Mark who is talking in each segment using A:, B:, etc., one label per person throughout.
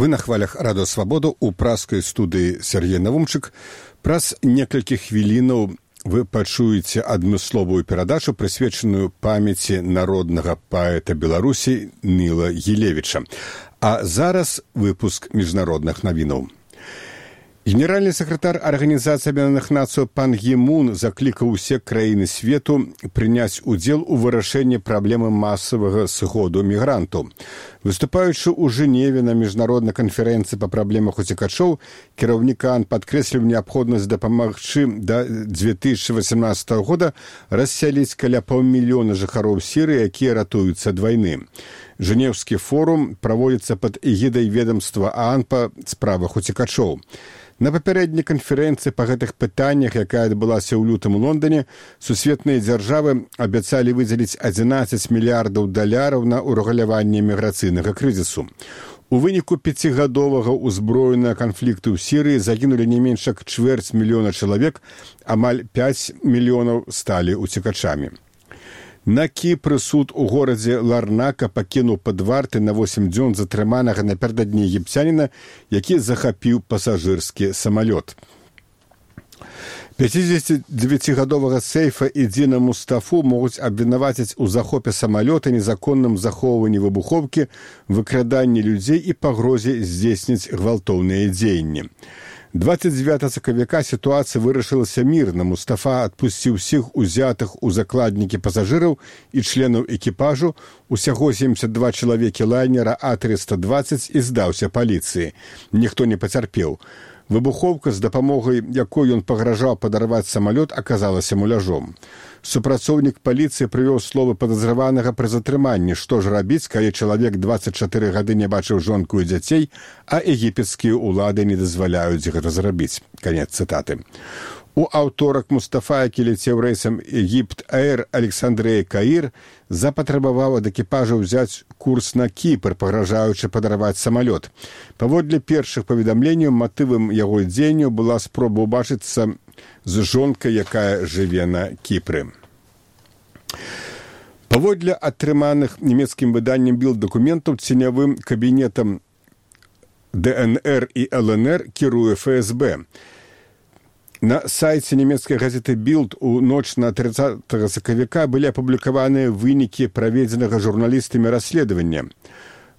A: Вы на хвалях Радыё Свабода ў праскай студыі Сергей Навумчык. Праз некалькі хвілінаў вы пачуеце адмысловую перадачу, прысвечаную памяці народнага паэта Беларусі Ніла Гілевіча. А зараз выпуск міжнародных навінаў. Генеральны сакратар Арганізацыі Аб'яднаных Нацый Пан Гі Мун заклікаў усе краіны свету прыняць удзел у вырашэнні праблемы масавага сыходу мігрантаў. Выступаючы ў Жэневе на міжнароднай канферэнцыі па праблемах уцекачоў, кіраўнік ААН падкрэсліў неабходнасць дапамагчы да 2018 года рассяліць каля паўмільёна жыхароў Сірыі, якія ратуюцца ад вайны. Жэнеўскі форум праводзіцца пад эгідай ведамства ААН па справах уцекачоў. На папярэдняй канферэнцыі па гэтых пытаннях, якая адбылася ў лютым у Лондоне, сусветныя дзяржавы абяцалі выдзеліць 11 мільярдаў даляраў на ўрэгуляванне міграцыйнага крызісу. У выніку 5гадовага ўзброенага канфлікту ў Сірыі загінулі не менш як 250 000 чалавек, амаль 5 мільёнаў сталі уцекачамі. На Кіпры суд у горадзе Ларнака пакінуў пад вартай на 8 дзён затрыманага напярэдадні егіпцяніна, які захапіў пасажырскі самалёт. 59гадовага Сейфа і Дзіна Мустафу могуць абвінаваціць у захопе самалёта, незаконным захоўванні выбухоўкі, выкраданні людзей і пагрозе здзейсніць гвалтоўныя дзеянні. 29 сакавіка сітуацыя вырашылася мірна. Мустафа адпусціў усіх узятых у закладнікі пасажыраў і членаў экіпажу, усяго 72 чалавекі лайнера А320 і здаўся паліцыі. Ніхто не пацярпеў. Выбухоўка, з дапамогай якой ён пагражаў падарваць самалёт, аказалася муляжом. Супрацоўнік паліцыі прывёў словы падазраванага пры затрыманні. Што ж рабіць, калі чалавек 24 гады не бачыў жонку і дзяцей, а егіпецкія ўлады не дазваляюць гэта зрабіць. Канец цытаты. У аўторак Мустафа, які ляцеў рэйсам Егіпт-Эйр Александрыя-Каір, запатрабаваў ад экіпажа ўзяць курс на Кіпр, пагражаючы падарваць самалёт. Паводле першых паведамленняў, матывам яго дзеянняў была спроба ўбачыцца з жонкай, якая жыве на Кіпры. Паводле атрыманых нямецкім выданнем Білд дакументаў, ценявым кабінетам ДНР і ЛНР кіруе ФСБ. На сайце нямецкай газеты «Білд» у ноч на 30 сакавіка былі апублікаваныя вынікі праведзенага журналістамі расследавання.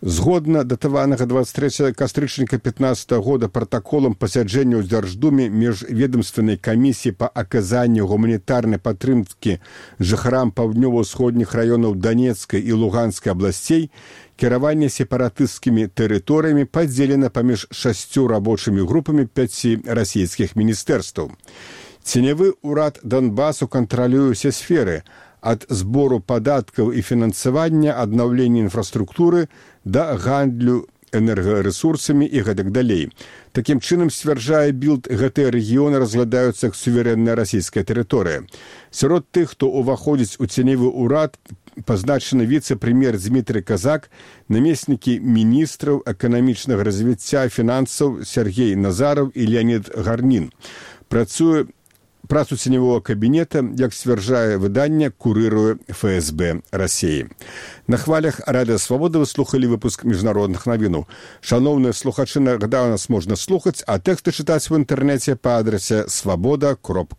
A: Згодна датаванага 23 кастрычніка 15 года пратаколам пасяджэння ў Дзярждуме міжведамственнай камісіі па аказанню гуманітарнай падтрымкі жыхарам паўднёва-ўсходніх раёнаў Данецкай і Луганскай абласцей, кіраванне сепаратысцкімі тэрыторыямі падзелена паміж 6 рабочымі групамі 5 расійскіх міністэрстваў. Ценявы ўрад Донбасу кантралюе ўсе сферы, ад збору падаткаў і фінансавання, аднаўлення інфраструктуры да гандлю энергарэсурсамі і гэтак далей. Такім чынам, сцвярджае Білд, гэтыя рэгіёны разглядаюцца як суверэнная расійская тэрыторыя. Сярод тых, хто ўваходзіць у ценявы ўрад, пазначаны віцэ-прэм'ер Дмітрый Казак, намеснікі міністраў эканамічнага развіцця фінансаў Сергей Назараў і Леонід Гарнін. Працу ценявого кабінета, як сцвярджае выданне, курыруе ФСБ Расіі. На хвалях Радыё Свабода вы слухалі выпуск міжнародных навінаў. Шаноўныя слухачы, нагадаю, нас можна слухаць, а тэксты чытаць в інтэрнэце па адрасе swaboda.org.